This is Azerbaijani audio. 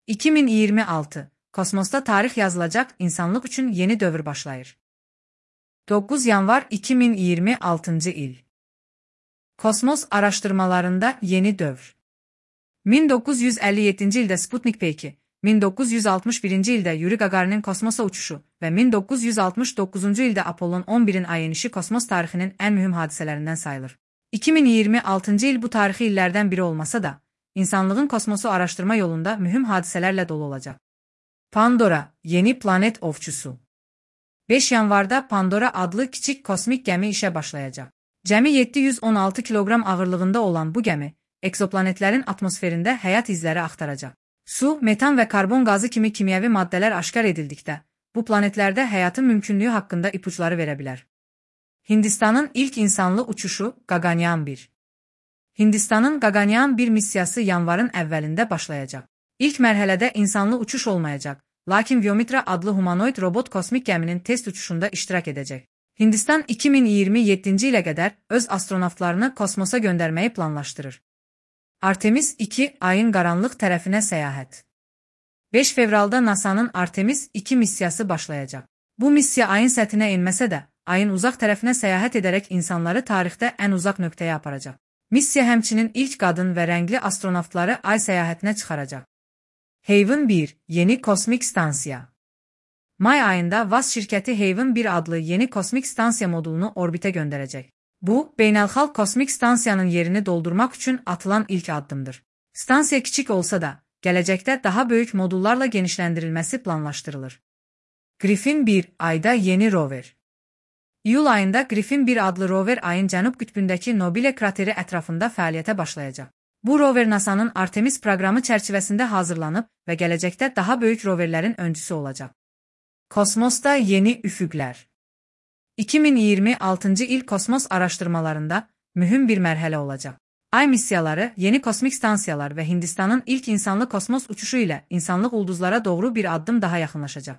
2026. Kosmosda tarix yazılacak, insanlık üçün yeni dövr başlayır. 9 yanvar 2026 il. Kosmos araştırmalarında yeni dövr. 1957 ildə Sputnik P2, 1961 ildə Yuri Gagarin'in kosmosa uçuşu və 1969 ildə Apollon 11'in ay enişi kosmos tarixinin ən mühüm hadisələrindən sayılır. 2026 il bu tarixi illərdən biri olmasa da, insanlığın kosmosu araştırma yolunda mühüm hadisələrlə dolu olacaq. Pandora, yeni planet ovçusu. 5 yanvarda Pandora adlı kiçik kosmik gəmi işə başlayacaq. Cəmi 716 kiloqram ağırlığında olan bu gəmi, ekzoplanetlərin atmosferində həyat izləri axtaracaq. Su, metan və karbon qazı kimi kimyəvi maddələr aşkar edildikdə, bu planetlərdə həyatın mümkünlüyü haqqında ipuçları verə bilər. Hindistanın ilk insanlı uçuşu Gaganyaan 1. Hindistanın Gaganyaan 1 missiyası yanvarın əvvəlində başlayacaq. İlk mərhələdə insanlı uçuş olmayacaq, lakin Vyomitra adlı humanoid robot kosmik gəminin test uçuşunda iştirak edəcək. Hindistan 2027 ilə qədər öz astronavtlarını kosmosa göndərməyi planlaşdırır. Artemis 2 ayın qaranlıq tərəfinə səyahət. 5 fevralda NASA'nın Artemis 2 missiyası başlayacaq. Bu missiya ayın səthinə enməsə də, ayın uzaq tərəfinə səyahət edərək insanları tarixdə ən uzaq nöqtəyə aparacaq. Missiya həmçinin ilk qadın və rəngli astronavtları ay səyahətinə çıxaracaq. Haven 1 yeni kosmik stansiya. May ayında VAS şirkəti Haven 1 adlı yeni kosmik stansiya modulunu orbitə göndərəcək. Bu, beynəlxalq kosmik stansiyanın yerini doldurmaq üçün atılan ilk addımdır. Stansiya kiçik olsa da, gələcəkdə daha böyük modullarla genişləndirilməsi planlaşdırılır. Griffin 1 ayda yeni rover. İyul ayında Griffin 1 adlı rover ayın cənub qütbündəki Nobile krateri ətrafında fəaliyyətə başlayacaq. Bu rover NASA'nın Artemis proqramı çərçivəsində hazırlanıb və gələcəkdə daha böyük roverlərin öncüsü olacaq. Kosmosda yeni üfüqlər. 2026 il kosmos araşdırmalarında mühüm bir mərhələ olacaq. Ay missiyaları, yeni kosmik stansiyalar və Hindistanın ilk insanlı kosmos uçuşu ilə insanlıq ulduzlara doğru bir addım daha yaxınlaşacaq.